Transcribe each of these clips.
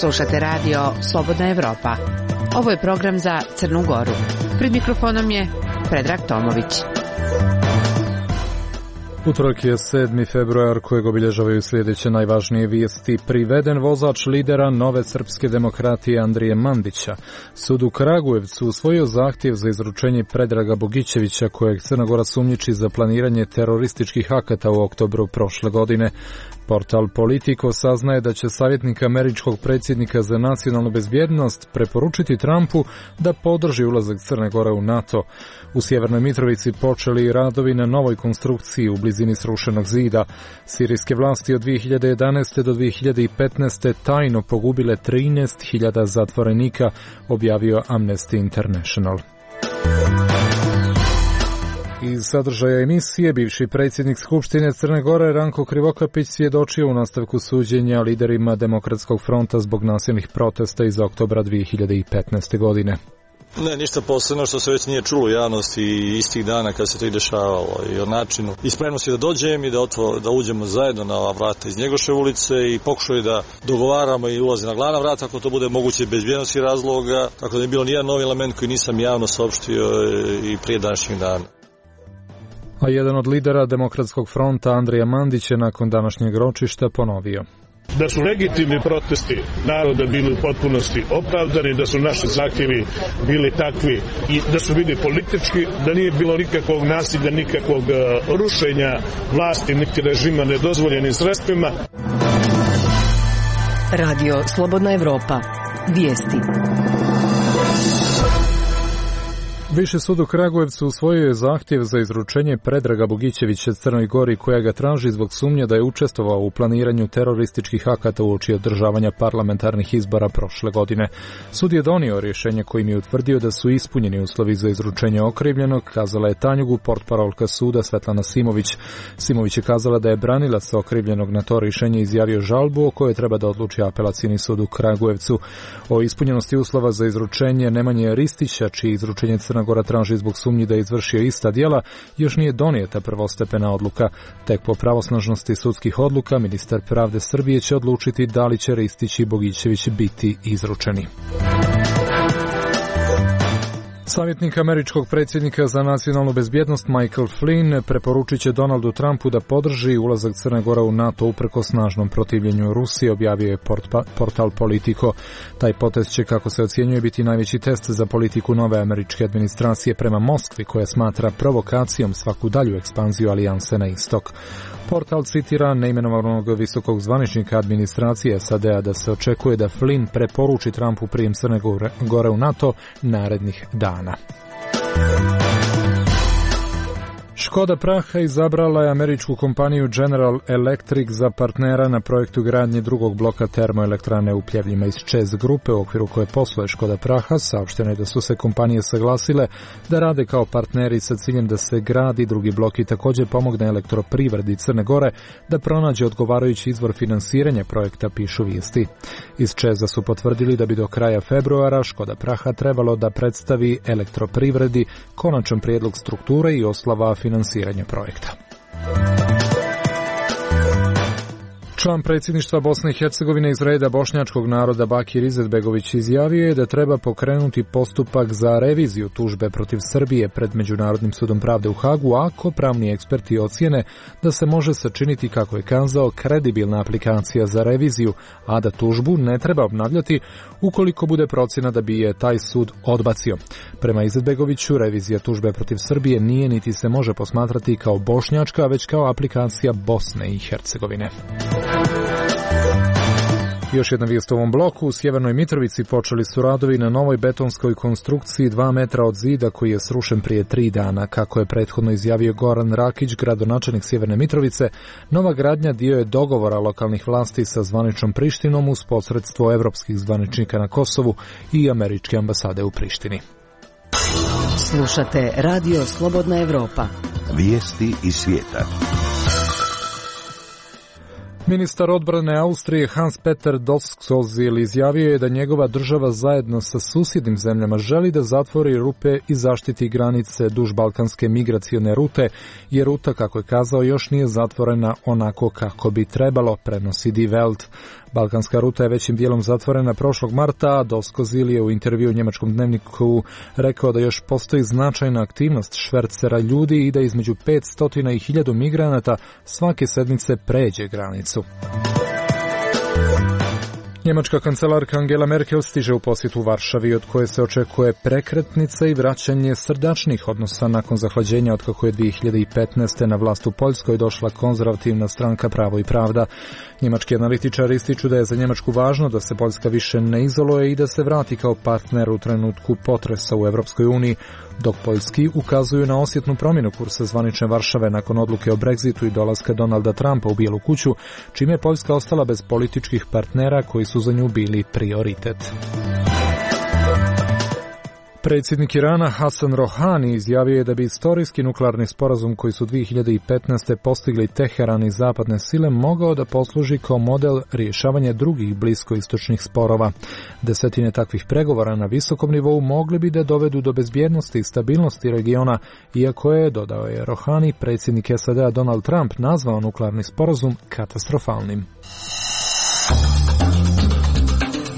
Slušate radio Slobodna Evropa. Ovo je program za Crnu Goru. Pred mikrofonom je Predrag Tomović. Utorak je 7. februar kojeg obilježavaju sljedeće najvažnije vijesti. Priveden vozač lidera Nove srpske demokratije Andrije Mandića. Sud u Kragujevcu usvojio zahtjev za izručenje Predraga Bogićevića, kojeg Crna Gora sumnjiči za planiranje terorističkih akata u oktobru prošle godine. Portal Politico saznaje da će savjetnik američkog predsjednika za nacionalnu bezbjednost preporučiti Trumpu da podrži ulazak Crne Gore u NATO. U Sjevernoj Mitrovici počeli radovi na novoj konstrukciji u blizini srušenog zida. Sirijske vlasti od 2011. do 2015. tajno pogubile 13.000 zatvorenika, objavio Amnesty International. Iz sadržaja emisije bivši predsjednik Skupštine Crne Gore Ranko Krivokapić svjedočio u nastavku suđenja liderima Demokratskog fronta zbog nasilnih protesta iz oktobra 2015. godine. Ne, ništa posebno što se već nije čulo u javnosti istih dana kad se to i dešavalo i o načinu. I spremnosti da dođem i da uđemo zajedno na ova vrata iz Njegoševe ulice i pokušali da dogovaramo i ulazi na glavna vrata ako to bude moguće bez bezbjednosti razloga, tako da je bilo nijedan novi element koji nisam javno saopštio i prije današnjeg dana. A jedan od lidera Demokratskog fronta Andrija Mandić je nakon današnjeg ročišta ponovio: da su legitimni protesti naroda bili u potpunosti opravdani, da su naši zahtjevi bili takvi i da su bili politički, da nije bilo nikakvog nasilja, nikakvog rušenja vlasti, niti režima nedozvoljenim sredstvima. Radio Slobodna Evropa. Vijesti. Viši sud u Kragujevcu usvojio je zahtjev za izručenje Predraga Bogićevića Crnoj Gori, koja ga traži zbog sumnje da je učestvovao u planiranju terorističkih akata uoči održavanja parlamentarnih izbora prošle godine. Sud je donio rješenje kojim je utvrdio da su ispunjeni uslovi za izručenje okrivljenog, kazala je Tanjugu portparolka suda Svetlana Simović. Simović je kazala da je branilac okrivljenog na to rješenje izjavio žalbu o kojoj treba da odluči apelacijni sud u Kragujevcu. O ispunjenosti uslova za izručenje Nemanje Ristića, čiji izručenje Crna Gora traži zbog sumnji da je izvršio ista djela, još nije donijeta prvostepena odluka. Tek po pravosnažnosti sudskih odluka ministar pravde Srbije će odlučiti da li će Ristić i Bogićević biti izručeni. Savjetnik američkog predsjednika za nacionalnu bezbjednost Michael Flynn preporučit će Donaldu Trumpu da podrži ulazak Crne Gore u NATO uprkos snažnom protivljenju Rusije, objavio je portal Politico. Taj potez će, kako se ocjenjuje, biti najveći test za politiku nove američke administracije prema Moskvi, koja smatra provokacijom svaku dalju ekspanziju alijanse na istok. Portal citira neimenovanog visokog zvaničnika administracije SAD-a da se očekuje da Flynn preporuči Trumpu prijem Crne Gore u NATO narednih dana. Škoda Praha izabrala je američku kompaniju General Electric za partnera na projektu gradnje drugog bloka termoelektrane u Pljevljima iz ČEZ grupe, u okviru koje posluje Škoda Praha. Saopšteno je da su se kompanije saglasile da rade kao partneri sa ciljem da se gradi drugi blok i također pomogne elektroprivredi Crne Gore da pronađe odgovarajući izvor finansiranja projekta, pišu vijesti. Iz ČEZ-a su potvrdili da bi do kraja februara Škoda Praha trebalo da predstavi elektroprivredi konačan prijedlog strukture i oslava finansiranja projekta. Član predsjedništva Bosne i Hercegovine iz reda bošnjačkog naroda Bakir Izetbegović izjavio je da treba pokrenuti postupak za reviziju tužbe protiv Srbije pred Međunarodnim sudom pravde u Hagu ako pravni eksperti ocjene da se može sačiniti, kako je kazao, kredibilna aplikacija za reviziju, a da tužbu ne treba obnavljati ukoliko bude procjena da bi je taj sud odbacio. Prema Izetbegoviću, revizija tužbe protiv Srbije nije niti se može posmatrati kao bošnjačka, već kao aplikacija Bosne i Hercegovine. Još jedna vijest u ovom bloku. U Sjevernoj Mitrovici počeli su radovi na novoj betonskoj konstrukciji 2 metra od zida koji je srušen prije 3 dana. Kako je prethodno izjavio Goran Rakić, gradonačelnik Sjeverne Mitrovice, nova gradnja dio je dogovora lokalnih vlasti sa zvaničnom Prištinom uz posredstvo evropskih zvaničnika na Kosovu i američke ambasade u Prištini. Slušate Radio Slobodna Evropa. Vijesti iz svijeta. Ministar odbrane Austrije Hans-Peter Doskozil izjavio je da njegova država zajedno sa susjednim zemljama želi da zatvori rupe i zaštiti granice duž balkanske migracione rute, jer ruta, kako je kazao, još nije zatvorena onako kako bi trebalo, prenosi Die Welt. Balkanska ruta je većim dijelom zatvorena prošlog marta, a Doskozil je u intervju u njemačkom dnevniku rekao da još postoji značajna aktivnost švercera ljudi i da između 500 i 1000 migranata svake sedmice pređe granicu. Njemačka kancelarka Angela Merkel stiže u posjetu Varšavi, od koje se očekuje prekretnica i vraćanje srdačnih odnosa nakon zahlađenja od kako je 2015. na vlast u Poljskoj došla konzervativna stranka Pravo i pravda. Njemački analitičari ističu da je za Njemačku važno da se Poljska više ne izoluje i da se vrati kao partner u trenutku potresa u Europskoj uniji, dok Poljski ukazuju na osjetnu promjenu kursa zvanične Varšave nakon odluke o Brexitu i dolaska Donalda Trumpa u Bijelu kuću, čime je Poljska ostala bez političkih partnera koji su za nju bili prioritet. Predsjednik Irana Hasan Rohani izjavio je da bi istorijski nuklearni sporazum koji su 2015. postigli Teheran i zapadne sile mogao da posluži kao model rješavanja drugih bliskoistočnih sporova. Desetine takvih pregovora na visokom nivou mogli bi da dovedu do bezbjednosti i stabilnosti regiona, iako je, dodao je Rohani, predsjednik SAD-a Donald Trump nazvao nuklearni sporazum katastrofalnim.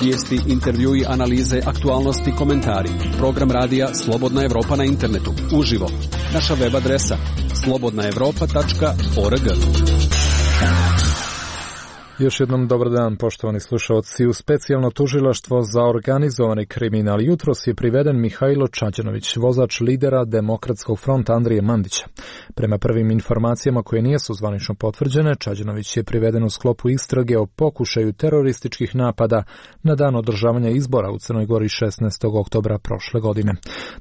Vijesti, intervjui, analize, aktualnosti, komentari. Program radija Slobodna Evropa na internetu. Uživo. Naša web adresa slobodnaevropa.org. Još jednom dobar dan, poštovani slušalci. U specijalno tužilaštvo za organizovani kriminal jutros je priveden Mihajlo Čađanović, vozač lidera Demokratskog fronta Andrije Mandića. Prema prvim informacijama koje nisu zvanično potvrđene, Čađanović je priveden u sklopu istrage o pokušaju terorističkih napada na dan održavanja izbora u Crnoj Gori 16. oktobra prošle godine.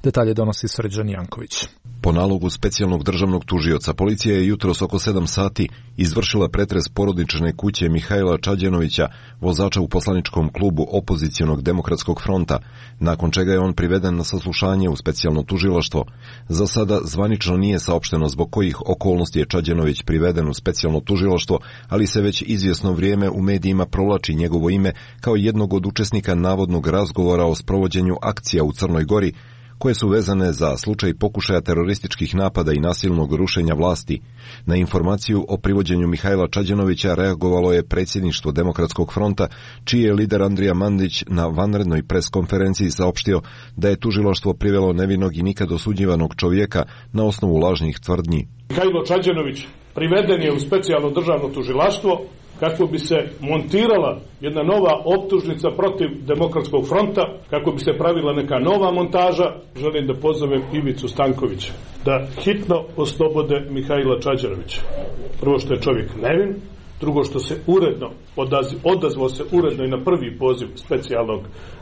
Detalje donosi Srđan Janković. Po nalogu specijalnog državnog tužioca, policija je jutros oko 7 sati izvršila pretres porodične kuće Mihajla Čađanovića, vozača u poslaničkom klubu opozicionog Demokratskog fronta, nakon čega je on priveden na saslušanje u specijalno tužilaštvo. Za sada zvanično nije saopšteno zbog kojih okolnosti je Čađanović priveden u specijalno tužilaštvo, ali se već izvjesno vrijeme u medijima provlači njegovo ime kao jednog od učesnika navodnog razgovora o sprovođenju akcija u Crnoj Gori, koje su vezane za slučaj pokušaja terorističkih napada i nasilnog rušenja vlasti. Na informaciju o privođenju Mihajla Čađanovića reagovalo je predsjedništvo Demokratskog fronta, čiji je lider Andrija Mandić na vanrednoj preskonferenciji saopštio da je tužilaštvo privelo nevinog i nikad osuđivanog čovjeka na osnovu lažnih tvrdnji. Mihajlo Čađanović priveden je u specijalno državno tužilaštvo kako bi se montirala jedna nova optužnica protiv Demokratskog fronta, kako bi se pravila neka nova montaža. Želim da pozovem Ivicu Stankovića da hitno oslobode Mihajla Čađanovića. Prvo što je čovjek nevin, drugo što se uredno odazvao se uredno i na prvi poziv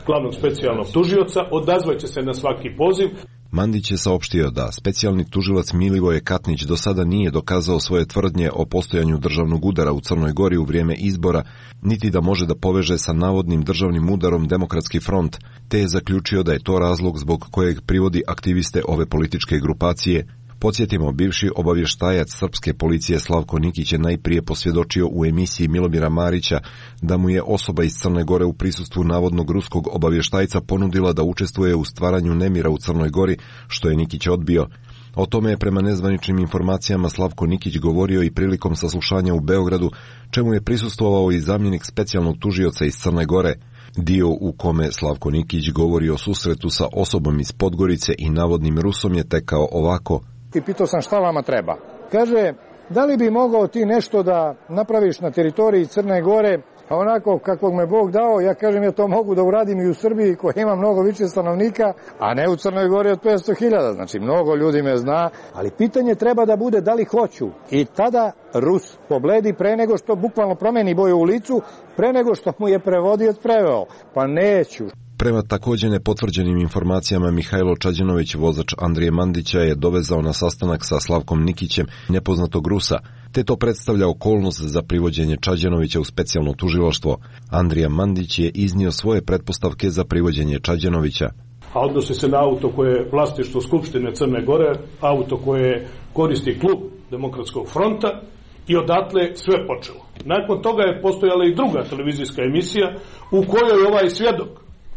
glavnog specijalnog tužioca, odazvaće se na svaki poziv. Mandić je saopštio da specijalni tužilac Milivoje Katnić do sada nije dokazao svoje tvrdnje o postojanju državnog udara u Crnoj Gori u vrijeme izbora, niti da može da poveže sa navodnim državnim udarom Demokratski front, te je zaključio da je to razlog zbog kojeg privodi aktiviste ove političke grupacije. Podsjetimo, bivši obavještajac srpske policije Slavko Nikić je najprije posvjedočio u emisiji Milomira Marića da mu je osoba iz Crne Gore u prisustvu navodnog ruskog obavještajca ponudila da učestvuje u stvaranju nemira u Crnoj Gori, što je Nikić odbio. O tome je prema nezvaničnim informacijama Slavko Nikić govorio i prilikom saslušanja u Beogradu, čemu je prisustvovao i zamjenik specijalnog tužioca iz Crne Gore. Dio u kome Slavko Nikić govori o susretu sa osobom iz Podgorice i navodnim Rusom je tekao ovako. I pitao sam šta vama treba. Kaže, da li bi mogao ti nešto da napraviš na teritoriji Crne Gore, a onako kakvog me Bog dao, ja kažem ja to mogu da uradim i u Srbiji koja ima mnogo više stanovnika, a ne u Crnoj Gori od 500.000, znači mnogo ljudi me zna, ali pitanje treba da bude da li hoću. I tada Rus pobledi pre nego što bukvalno promeni boju u licu, pre nego što mu je prevodioc preveo, pa neću. Prema također nepotvrđenim informacijama, Mihajlo Čađanović, vozač Andrije Mandića, je dovezao na sastanak sa Slavkom Nikićem nepoznatog Rusa, te to predstavlja okolnost za privođenje Čađanovića u specijalno tužilaštvo. Andrija Mandić je iznio svoje pretpostavke za privođenje Čađanovića. A odnosi se na auto koje je vlasništvo Skupštine Crne Gore, auto koje koristi klub Demokratskog fronta I odatle sve počelo. Nakon toga je postojala i druga televizijska emisija u kojoj ovaj svjedok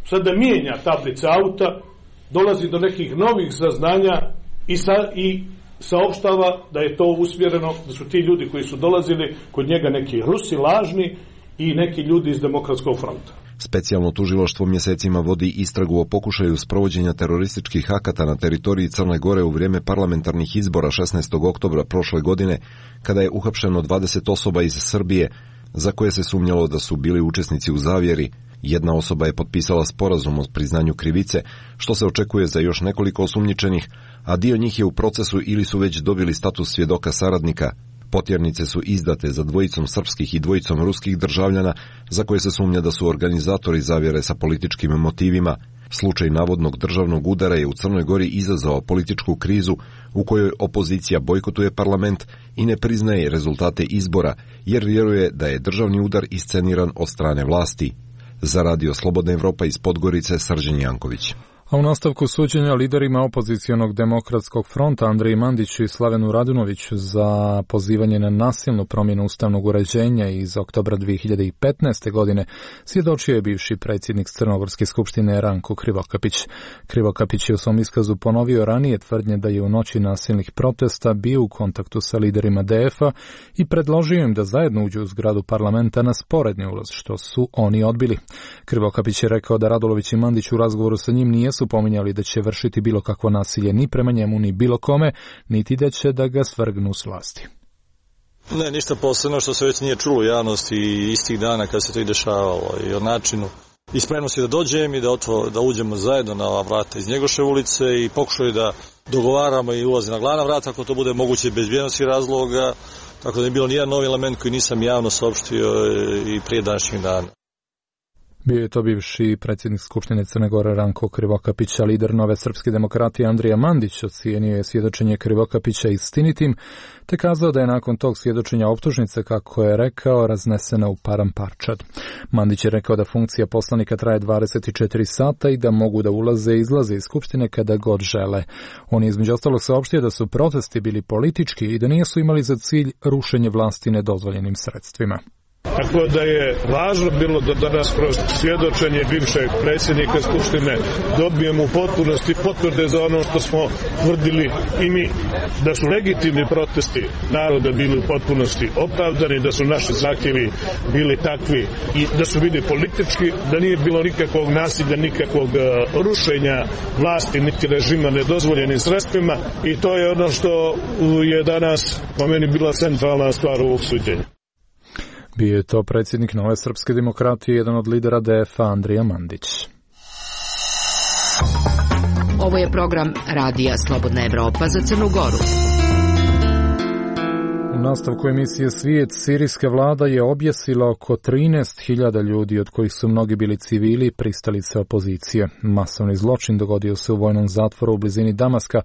sada mijenja tablice auta, dolazi do nekih novih saznanja i saopštava da je to usmjereno, da su ti ljudi koji su dolazili kod njega neki Rusi lažni i neki ljudi iz Demokratskog fronta. Specijalno tužilaštvo mjesecima vodi istragu o pokušaju sprovođenja terorističkih akata na teritoriji Crne Gore u vrijeme parlamentarnih izbora 16. oktobra prošle godine, kada je uhapšeno 20 osoba iz Srbije, za koje se sumnjalo da su bili učesnici u zavjeri. Jedna osoba je potpisala sporazum o priznanju krivice, što se očekuje za još nekoliko osumnjičenih, a dio njih je u procesu ili su već dobili status svjedoka saradnika. Potjernice su izdate za 2 srpskih i 2 ruskih državljana, za koje se sumnja da su organizatori zavjere sa političkim motivima. Slučaj navodnog državnog udara je u Crnoj Gori izazvao političku krizu u kojoj opozicija bojkotuje parlament i ne priznaje rezultate izbora, jer vjeruje da je državni udar isceniran od strane vlasti. Za Radio Slobodna Evropa iz Podgorice, Srđan Janković. A u nastavku suđenja liderima opozicionog demokratskog fronta Andriji Mandiću i Slavenu Radunoviću za pozivanje na nasilnu promjenu ustavnog uređenja iz oktobra 2015. godine svjedočio je bivši predsjednik Crnogorske skupštine Ranko Krivokapić. Krivokapić je u svom iskazu ponovio ranije tvrdnje da je u noći nasilnih protesta bio u kontaktu sa liderima DF-a i predložio im da zajedno uđu u zgradu parlamenta na sporedni ulaz, što su oni odbili. Krivokapić je rekao da Radulović i Mandić u razgovoru sa njim nijesu pominjali da će vršiti bilo kakvo nasilje ni prema njemu ni bilo kome, niti da će da ga svrgnu s vlasti. Ne, ništa posebno što se već nije čulo u javnosti istih dana kad se to i dešavalo i o načinu i spremnosti da dođem i da uđemo zajedno na ova vrata iz Njegoševe ulice i pokušaju da dogovaramo i ulazi na glavna vrata ako to bude moguće bez bezbjednosnih razloga, tako da je bilo nijedan novi element koji nisam javno saopštio i prije današnjeg dana. Bio je to bivši predsjednik Skupštine Crne Gore Ranko Krivokapić, a lider Nove srpske demokratije Andrija Mandić ocijenio je svjedočenje Krivokapića istinitim, te kazao da je nakon tog svjedočenja optužnice, kako je rekao, raznesena u paramparčad. Mandić je rekao da funkcija poslanika traje 24 sata i da mogu da ulaze i izlaze iz Skupštine kada god žele. On je između ostalog saopštio da su protesti bili politički i da nisu imali za cilj rušenje vlasti nedozvoljenim sredstvima. Tako da je važno bilo da danas kroz svjedočenje bivšeg predsjednika Skupštine dobijemo u potpunosti potvrde za ono što smo tvrdili i mi, da su legitimni protesti naroda bili u potpunosti opravdani, da su naši zahtjevi bili takvi i da su bili politički, da nije bilo nikakvog nasilja, nikakvog rušenja vlasti niti režima nedozvoljenim sredstvima i to je ono što je danas po meni bila centralna stvar ovog suđenja. Bio je to predsjednik Nove srpske demokratije, jedan od lidera DF-a Andrija Mandić. Ovo je program Radija Slobodna Evropa za Crnu Goru. U nastavku emisije Svijet, sirijska vlada je objesila oko 13.000 ljudi, od kojih su mnogi bili civili i pristalice opozicije. Masovni zločin dogodio se u vojnom zatvoru u blizini Damaska,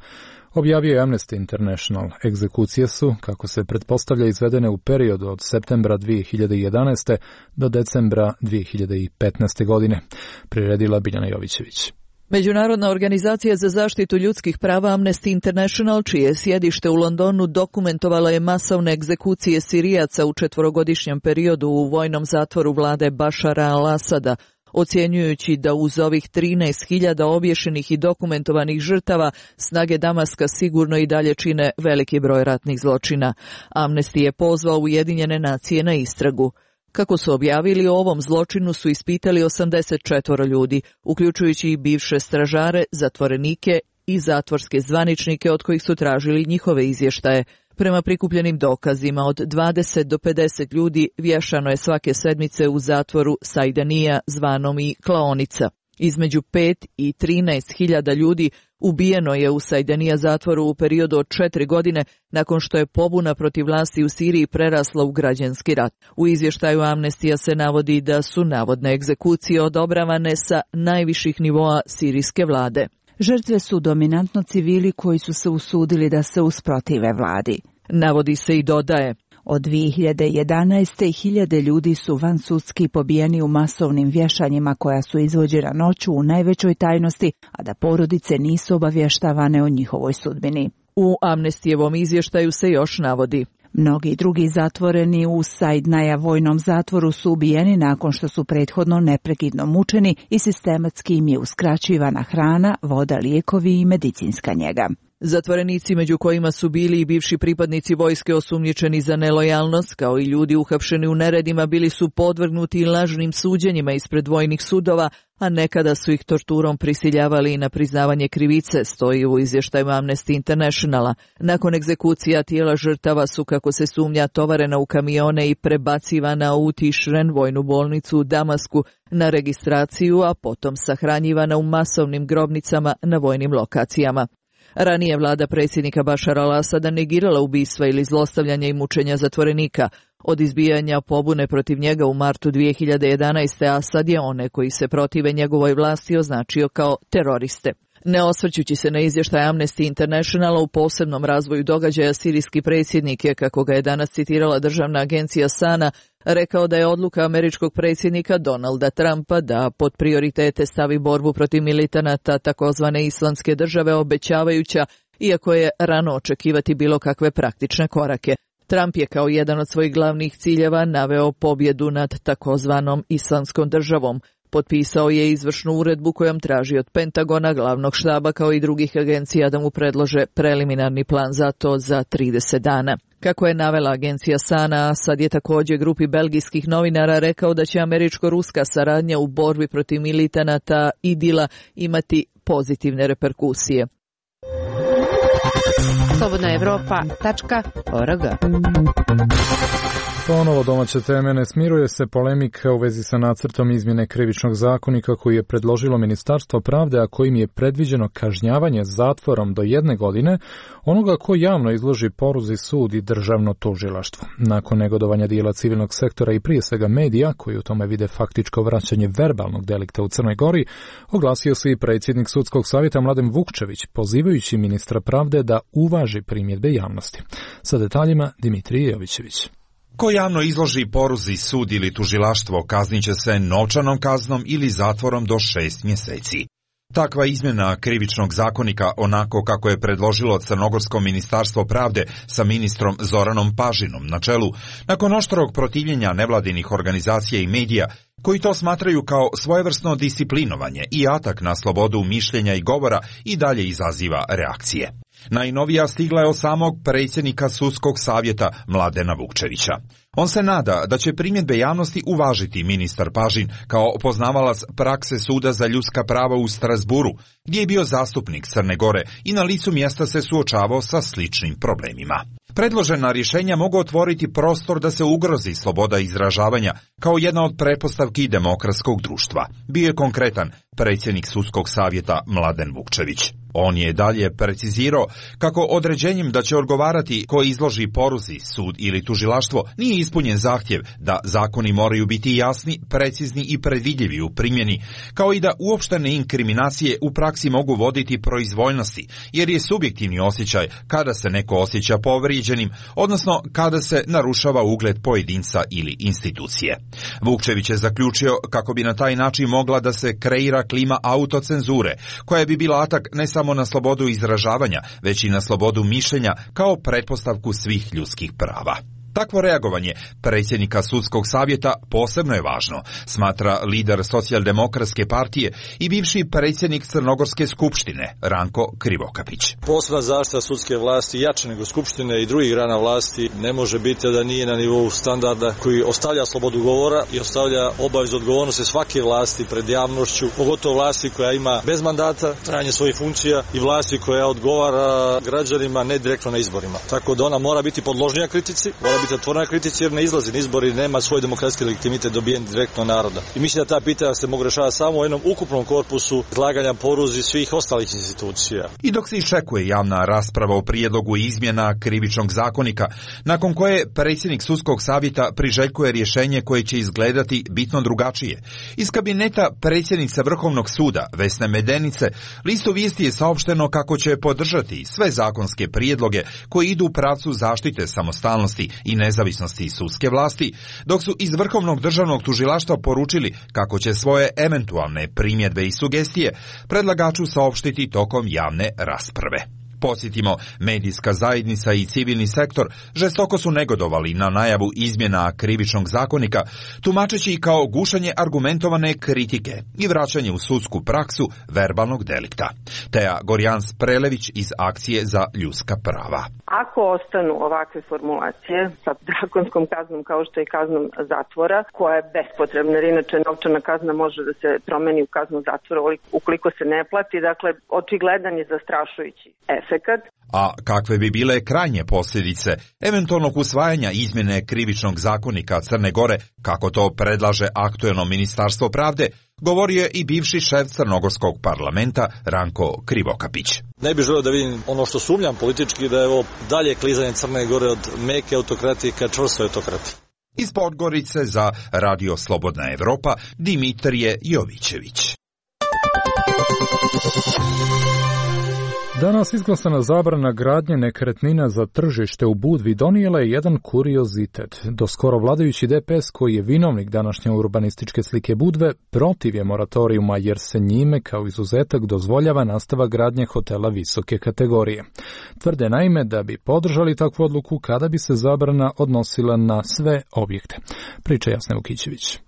objavio je Amnesty International. Egzekucije su, kako se pretpostavlja, izvedene u periodu od septembra 2011. do decembra 2015. godine. Priredila Biljana Jovićević. Međunarodna organizacija za zaštitu ljudskih prava Amnesty International, čije sjedište u Londonu, dokumentovala je masovne egzekucije Sirijaca u 4-godišnjem periodu u vojnom zatvoru vlade Bašara al-Asada, ocjenjujući da uz ovih 13.000 obješenih i dokumentovanih žrtava snage Damaska sigurno i dalje čine veliki broj ratnih zločina. Amnesty je pozvao Ujedinjene nacije na istragu. Kako su objavili, o ovom zločinu su ispitali 84 ljudi, uključujući i bivše stražare, zatvorenike i zatvorske zvaničnike od kojih su tražili njihove izvještaje. Prema prikupljenim dokazima, od 20 do 50 ljudi vješano je svake sedmice u zatvoru Sajdanija, zvanom i klaonica. Između 5 i 13.000 ljudi ubijeno je u Sajdanija zatvoru u periodu od 4 godine nakon što je pobuna protiv vlasti u Siriji prerasla u građanski rat. U izvještaju Amnestija se navodi da su navodne egzekucije odobravane sa najviših nivoa sirijske vlade. Žrtve su dominantno civili koji su se usudili da se usprotive vladi. Navodi se i dodaje: od 2011. hiljade ljudi su vansudski pobijeni u masovnim vješanjima koja su izvođena noću u najvećoj tajnosti, a da porodice nisu obavještavane o njihovoj sudbini. U Amnestijevom izvještaju se još navodi: Mnogi drugi zatvoreni u Saidnaja vojnom zatvoru su ubijeni nakon što su prethodno neprekidno mučeni i sistematski im je uskraćivana hrana, voda, lijekovi i medicinska njega. Zatvorenici, među kojima su bili i bivši pripadnici vojske osumnjičeni za nelojalnost, kao i ljudi uhapšeni u neredima, bili su podvrgnuti lažnim suđenjima ispred vojnih sudova, a nekada su ih torturom prisiljavali i na priznavanje krivice, stoji u izvještaju Amnesty Internationala. Nakon egzekucija tijela žrtava su, kako se sumnja, tovarena u kamione i prebacivana u Tišren, vojnu bolnicu u Damasku, na registraciju, a potom sahranjivana u masovnim grobnicama na vojnim lokacijama. Ranije vlada predsjednika Bašara al-Asada negirala ubistva ili zlostavljanja i mučenja zatvorenika. Od izbijanja pobune protiv njega u martu 2011. Asad je one koji se protive njegovoj vlasti označio kao teroriste. Ne osvrćući se na izvještaj Amnesty Internationala u posebnom razvoju događaja, sirijski predsjednik je, kako ga je danas citirala državna agencija SANA, rekao da je odluka američkog predsjednika Donalda Trumpa da pod prioritete stavi borbu protiv militanata takozvane islamske države obećavajuća, iako je rano očekivati bilo kakve praktične korake. Trump je kao jedan od svojih glavnih ciljeva naveo pobjedu nad takozvanom islamskom državom. Potpisao je izvršnu uredbu kojom traži od Pentagona, glavnog štaba kao i drugih agencija da mu predlože preliminarni plan za to za 30 dana. Kako je navela agencija SANA, Asad je također grupi belgijskih novinara rekao da će američko-ruska saradnja u borbi protiv militanata IDIL-a imati pozitivne reperkusije. slobodnaevropa.org. Ponovo domaće teme. Ne smiruje se polemika u vezi sa nacrtom izmjene krivičnog zakonika koji je predložilo Ministarstvo pravde, a kojim je predviđeno kažnjavanje zatvorom do 1 godine onoga ko javno izloži poruzi sud i državno tužilaštvo. Nakon negodovanja dijela civilnog sektora i prije svega medija, koji u tome vide faktičko vraćanje verbalnog delikta u Crnoj Gori, oglasio se i predsjednik Sudskog savjeta Mladen Vukčević, pozivajući ministra pravde da uvaži primjedbe javnosti. Sa detaljima Dimitrije Jovićević. Ko javno izloži poruzi sud ili tužilaštvo kaznit će se novčanom kaznom ili zatvorom do 6 mjeseci. Takva izmjena krivičnog zakonika, onako kako je predložilo Crnogorsko ministarstvo pravde sa ministrom Zoranom Pažinom na čelu, nakon oštrog protivljenja nevladinih organizacija i medija, koji to smatraju kao svojevrsno disciplinovanje i atak na slobodu mišljenja i govora, i dalje izaziva reakcije. Najnovija stigla je od samog predsjednika Sudskog savjeta Mladena Vukčevića. On se nada da će primjedbe javnosti uvažiti ministar Pažin kao poznavalac prakse Suda za ljudska prava u Strasburu, gdje je bio zastupnik Crne Gore i na licu mjesta se suočavao sa sličnim problemima. Predložena rješenja mogu otvoriti prostor da se ugrozi sloboda izražavanja kao jedna od pretpostavki demokratskog društva. Bio je konkretan predsjednik Sudskog savjeta Mladen Vukčević. On je dalje precizirao kako određenjem da će odgovarati ko izloži poruzi sud ili tužilaštvo nije ispunjen zahtjev da zakoni moraju biti jasni, precizni i predvidljivi u primjeni, kao i da uopštene inkriminacije u praksi mogu voditi proizvoljnosti, jer je subjektivni osjećaj kada se neko osjeća povrijeđenim, odnosno kada se narušava ugled pojedinca ili institucije. Vukčević je zaključio kako bi na taj način mogla da se kreira klima autocenzure, koja bi bila atak ne samo na slobodu izražavanja, već i na slobodu mišljenja kao pretpostavku svih ljudskih prava. Takvo reagovanje predsjednika Sudskog savjeta posebno je važno, smatra lider Socijaldemokratske partije i bivši predsjednik Crnogorske skupštine Ranko Krivokapić. Posebna zaštita sudske vlasti jače nego skupštine i drugih grana vlasti ne može biti da nije na nivou standarda koji ostavlja slobodu govora i ostavlja obavezu odgovornosti svake vlasti pred javnošću, pogotovo vlasti koja ima bez mandata trajanje svojih funkcija i vlasti koja odgovara građanima ne direktno na izborima. Tako da ona mora biti podložnija kritici, mora biti otvorena kritici jer ne izlazi na izbori, nema svoj demokratski legitimitet dobijen direktno naroda. I mislim da ta pitanja se mogu rešavati samo u jednom ukupnom korpusu izlaganja poruzi svih ostalih institucija. I dok se iščekuje javna rasprava o prijedlogu izmjena krivičnog zakonika, nakon koje predsjednik Sudskog savjeta priželjkuje rješenje koje će izgledati bitno drugačije, iz kabineta predsjednice Vrhovnog suda Vesne Medenice listu vijesti je saopšteno kako će podržati sve zakonske prijedloge koji idu u pravcu zaštite samostalnosti i nezavisnosti sudske vlasti, dok su iz Vrhovnog državnog tužilaštva poručili kako će svoje eventualne primjedbe i sugestije predlagaču saopštiti tokom javne rasprave. Podsjetimo, medijska zajednica i civilni sektor žestoko su negodovali na najavu izmjena krivičnog zakonika, tumačeći kao gušanje argumentovane kritike i vraćanje u sudsku praksu verbalnog delikta. Teja Gorjans-Prelević iz Akcije za ljudska prava. Ako ostanu ovakve formulacije sa drakonskom kaznom kao što je kaznom zatvora, koja je bespotrebna, jer inače novčana kazna može da se promeni u kaznu zatvora ukoliko se ne plati, dakle očigledan je zastrašujući efekat. A kakve bi bile krajnje posljedice eventualnog usvajanja izmjene krivičnog zakonika Crne Gore, kako to predlaže aktuelno Ministarstvo pravde, govorio je i bivši šef crnogorskog parlamenta Ranko Krivokapić. Ne bih želeo da vidim ono što sumnjam politički, da je ovo dalje klizanje Crne Gore od meke autokratije ka čvrstoj autokratiji. Iz Podgorice za Radio Slobodna Evropa Dimitrije Jovićević. Danas izglasana zabrana gradnje nekretnina za tržište u Budvi donijela je jedan kuriozitet. Doskoro vladajući DPS, koji je vinovnik današnje urbanističke slike Budve, protiv je moratorijuma jer se njime kao izuzetak dozvoljava nastavak gradnje hotela visoke kategorije. Tvrde naime da bi podržali takvu odluku kada bi se zabrana odnosila na sve objekte. Priča Jasna Vukićević.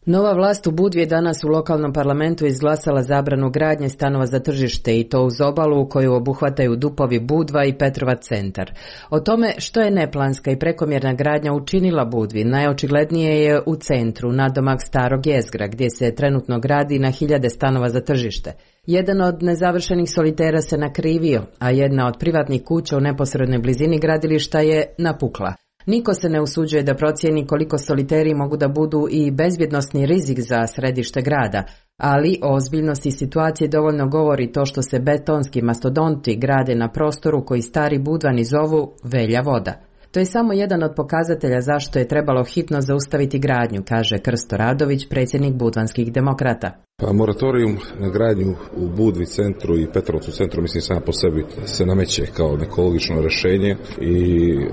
Nova vlast u Budvi je danas u lokalnom parlamentu izglasala zabranu gradnje stanova za tržište i to uz obalu koju obuhvataju Dupovi, Budva i Petrovac centar. O tome što je neplanska i prekomjerna gradnja učinila Budvi najočiglednije je u centru, nadomak starog jezgra, gdje se trenutno gradi na 1000 stanova za tržište. Jedan od nezavršenih solitera se nakrivio, a jedna od privatnih kuća u neposrednoj blizini gradilišta je napukla. Niko se ne usuđuje da procijeni koliko soliteri mogu da budu i bezbjednosni rizik za središte grada, ali o ozbiljnosti situacije dovoljno govori to što se betonski mastodonti grade na prostoru koji stari Budvani zovu Velja voda. To je samo jedan od pokazatelja zašto je trebalo hitno zaustaviti gradnju, kaže Krsto Radović, predsjednik Budvanskih demokrata. Pa moratorium na gradnju u Budvi centru i Petrovcu centru, mislim, sam po sebi se nameće kao neko logično rješenje i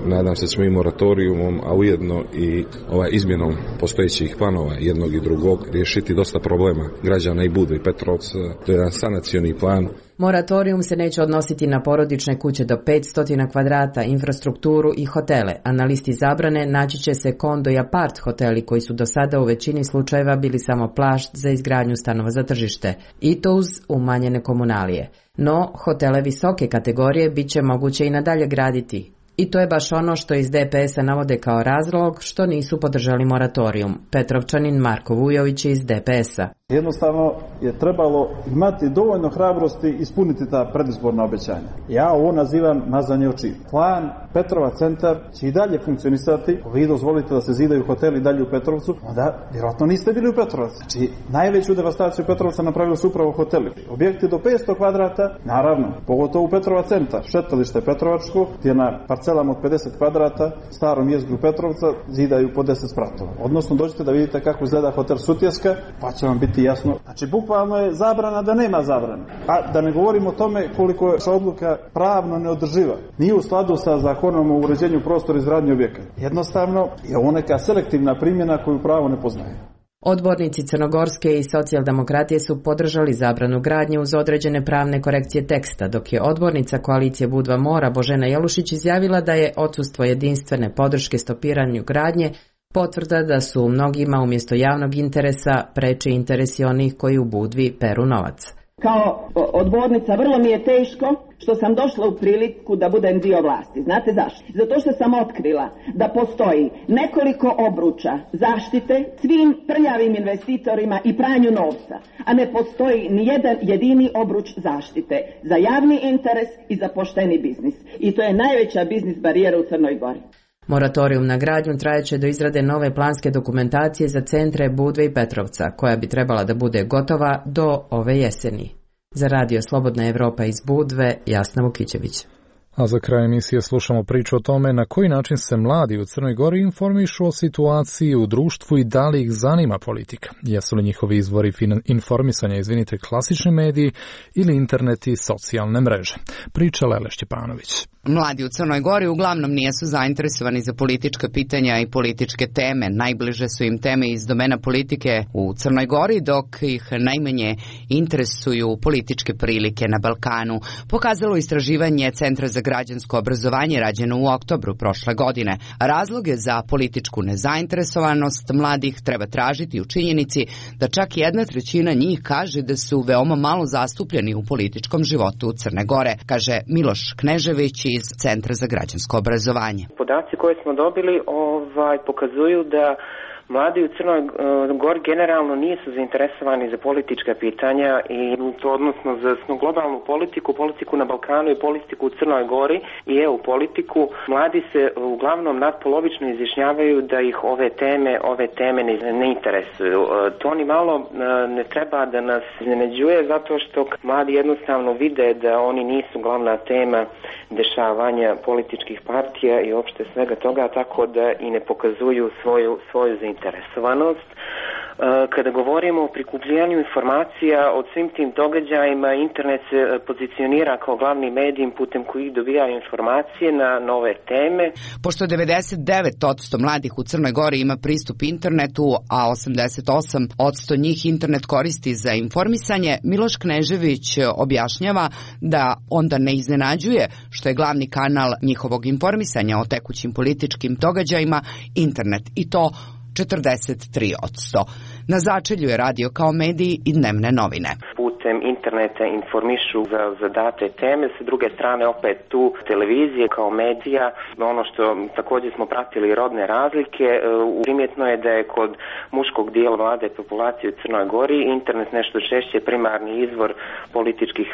nadam se ćemo i moratorijumom, a ujedno i izmjenom postojećih planova jednog i drugog riješiti dosta problema građana i Budve i Petrovca. To je jedan sanacioni plan. Moratorium se neće odnositi na porodične kuće do 500 kvadrata, infrastrukturu i hotele, a na listi zabrane naći će se kondo i apart hoteli koji su do sada u većini slučajeva bili samo plašt za izgradnju stanova za tržište, i to uz umanjene komunalije. No, hotele visoke kategorije bit će moguće i nadalje graditi. I to je baš ono što iz DPS-a navode kao razlog što nisu podržali moratorijum. Petrovčanin Marko Vujović iz DPS-a. Jednostavno je trebalo imati dovoljno hrabrosti ispuniti ta predizborna obećanja. Ja ovo nazivam mazanje očiju. Plan Petrova centar će i dalje funkcionisati. Vi dozvolite da se zidaju hoteli dalje u Petrovcu, onda vjerojatno niste bili u Petrovcu. Znači, najveću devastaciju Petrovca napravili su upravo hoteli. Objekti do 500 kvadrata, naravno, pogotovo u Petrova centar. Šetalište Petrovačko, gdje na parcelama od 50 kvadrata, starom jezgru Petrovca, zidaju po 10 spratova. Odnosno, dođete da vidite kako izgleda hotel Sutjeska, pa će vam biti jasno. Znači, bukvalno je zabrana da nema zabrane. A da ne govorimo o tome koliko je odluka pravno neodrživa. Nije u skladu sa zakonom o uređenju prostora i izgradnji objekata. Jednostavno je ovo neka selektivna primjena koju pravo ne poznaje. Odbornici Crnogorske i socijaldemokratije su podržali zabranu gradnje uz određene pravne korekcije teksta, dok je odbornica koalicije Budva Mora Božena Jelušić izjavila da je odsustvo jedinstvene podrške stopiranju gradnje potvrda da su mnogima umjesto javnog interesa preči interesi onih koji u Budvi peru novac. Kao odbornica vrlo mi je teško što sam došla u priliku da budem dio vlasti. Znate zašto? Zato što sam otkrila da postoji nekoliko obruča zaštite svim prljavim investitorima i pranju novca, a ne postoji ni jedan jedini obruč zaštite za javni interes i za pošteni biznis. I to je najveća biznis barijera u Crnoj Gori. Moratorium na gradnju trajeće do izrade nove planske dokumentacije za centre Budve i Petrovca, koja bi trebala da bude gotova do ove jeseni. Za Radio Slobodna Evropa iz Budve, Jasna Vukićević. A za kraj emisije slušamo priču o tome na koji način se mladi u Crnoj Gori informišu o situaciji u društvu i da li ih zanima politika. Jesu li njihovi izvori informisanja, klasični mediji ili internet i socijalne mreže. Priča Lele Šćepanović. Mladi u Crnoj Gori uglavnom nisu zainteresovani za politička pitanja i političke teme. Najbliže su im teme iz domena politike u Crnoj Gori, dok ih najmanje interesuju političke prilike na Balkanu. Pokazalo istraživanje Centra za građansko obrazovanje rađeno u oktobru prošle godine. Razloge za političku nezainteresovanost mladih treba tražiti u činjenici da čak 1/3 njih kaže da su veoma malo zastupljeni u političkom životu Crne Gore, kaže Miloš Knežević iz Centra za građansko obrazovanje. Podaci koje smo dobili pokazuju da mladi u Crnoj Gori generalno nisu zainteresovani za politička pitanja i to odnosno za globalnu politiku na Balkanu i politiku u Crnoj Gori i EU politiku. Mladi se uglavnom nadpolovično izjašnjavaju da ih ove teme ne interesuju. To ni malo ne treba da nas iznenađuje zato što mladi jednostavno vide da oni nisu glavna tema dešavanja političkih partija i uopšte svega toga, tako da i ne pokazuju svoju zainteresovanost. Kada govorimo o prikupljanju informacija o svim tim događajima, internet se pozicionira kao glavni medij putem kojih dobijaju informacije na nove teme. Pošto 99% mladih u Crnoj Gori ima pristup internetu, a 88% njih internet koristi za informisanje, Miloš Knežević objašnjava da onda ne iznenađuje što je glavni kanal njihovog informisanja o tekućim političkim događajima internet, i to 43%. Na začelju je radio kao medij i dnevne novine. Putem interneta informišu za date teme, sa druge strane opet tu televizije kao medija. Ono što također smo pratili rodne razlike, primjetno je da je kod muškog dijela mlade populacije u Crnoj Gori internet nešto češće primarni izvor političkih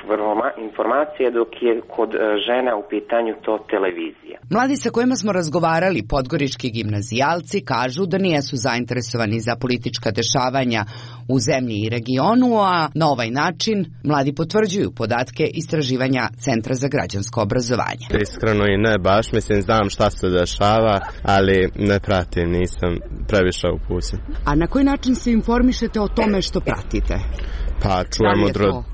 informacija, dok je kod žena u pitanju to televizija. Mladi sa kojima smo razgovarali, podgorički gimnazijalci, kažu da nisu zainteresovani za politička dešavanja u zemlji i regionu, a na ovaj način mladi potvrđuju podatke istraživanja Centra za građansko obrazovanje. Iskreno i ne baš, znam šta se dešava, ali ne pratim, nisam previše upućen. A na koji način se informišete o tome što pratite? Pa čujem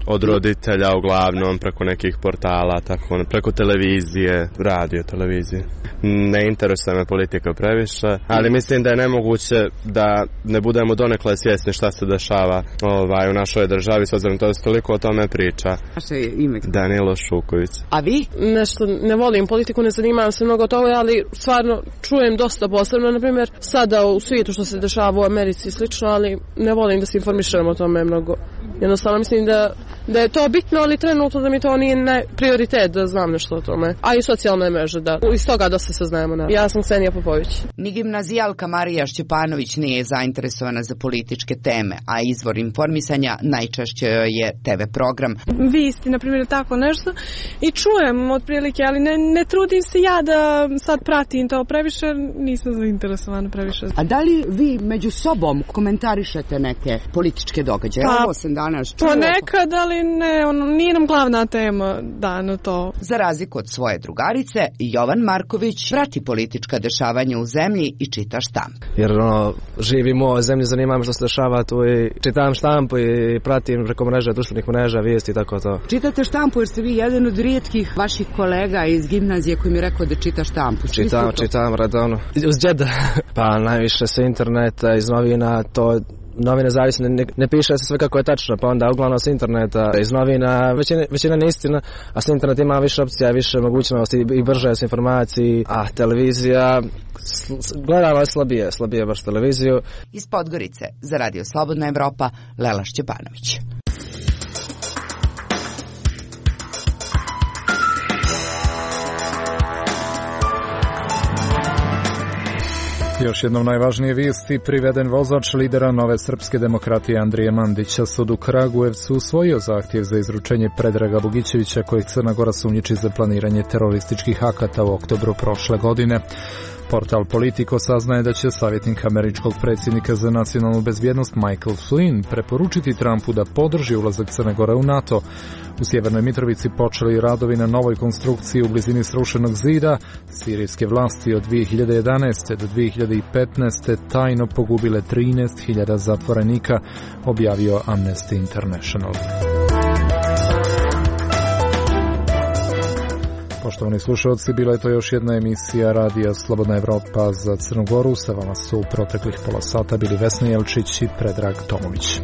od roditelja uglavnom, preko nekih portala, tako, preko televizije, radio, televizije. Ne interesuje me politika previše, ali mislim da je nemoguće da ne budemo donekle svjesni šta se dešava u našoj državi, s obzirom to se toliko o tome priča. Vaše ime? Danilo Šuković. A vi? Nešto ne volim politiku, ne zanimam se mnogo toga, ali stvarno čujem dosta posebno, na primjer, sada u svijetu što se dešava u Americi i slično, ali ne volim da se informišem o tome mnogo. Jednostavno mislim da je to bitno, ali trenutno da mi to nije prioritet da znam nešto o tome. A i socijalne mreže, da. Iz toga dosta se znamo. Ja sam Ksenija Popović. Ni gimnazijalka Marija Šćepanović nije zainteresovana za političke teme, a izvor informisanja najčešće je TV program. Visti, na primjer, tako nešto i čujem otprilike, ali ne trudim se ja da sad pratim to previše, nisam zainteresovana previše. A da li vi među sobom komentarišete neke političke događaje? Ovo sam danas čuo. Ponekad, ali nije nam glavna tema na to. Za razliku od svoje drugarice, Jovan Marković prati politička dešavanja u zemlji i čita štamp. Jer živimo u zemlji, zanima me što se dešava tu i čitam štampu i pratim preko mreža, društvenih mreža, vijesti i tako to. Čitate štampu jer ste vi jedan od rijetkih vaših kolega iz gimnazije koji mi je rekao da čita štampu. Čitam redovno. Uz džeda. Pa najviše sa interneta, iz novina, to novine zavisno, ne piše se sve kako je tačno, pa onda uglavnom s interneta, iz novina, većina ne istina, a s interneta ima više opcija, više mogućnosti i brže s informaciji, a televizija, gledamo slabije baš televiziju. Iz Podgorice, za Radio Slobodna Evropa, Lela Šćepanović. Još jednom najvažnije vijesti, priveden vozač lidera Nove srpske demokratije Andrije Mandića. Sud u Kragujevcu usvojio zahtjev za izručenje Predraga Bogićevića, kojeg Crna Gora sumnjiči za planiranje terorističkih akata u oktobru prošle godine. Portal Politico saznaje da će savjetnik američkog predsjednika za nacionalnu bezbjednost Michael Flynn preporučiti Trumpu da podrži ulazak Crne Gore u NATO. U Sjevernoj Mitrovici počeli radovi na novoj konstrukciji u blizini srušenog zida. Sirijske vlasti od 2011. do 2015. tajno pogubile 13.000 zatvorenika, objavio Amnesty International. Poštovani slušalci, bila je to još jedna emisija Radija Slobodna Evropa za Crnu Goru. Sa vama su u proteklih pola sata bili Vesna Jelčić i Predrag Tomović.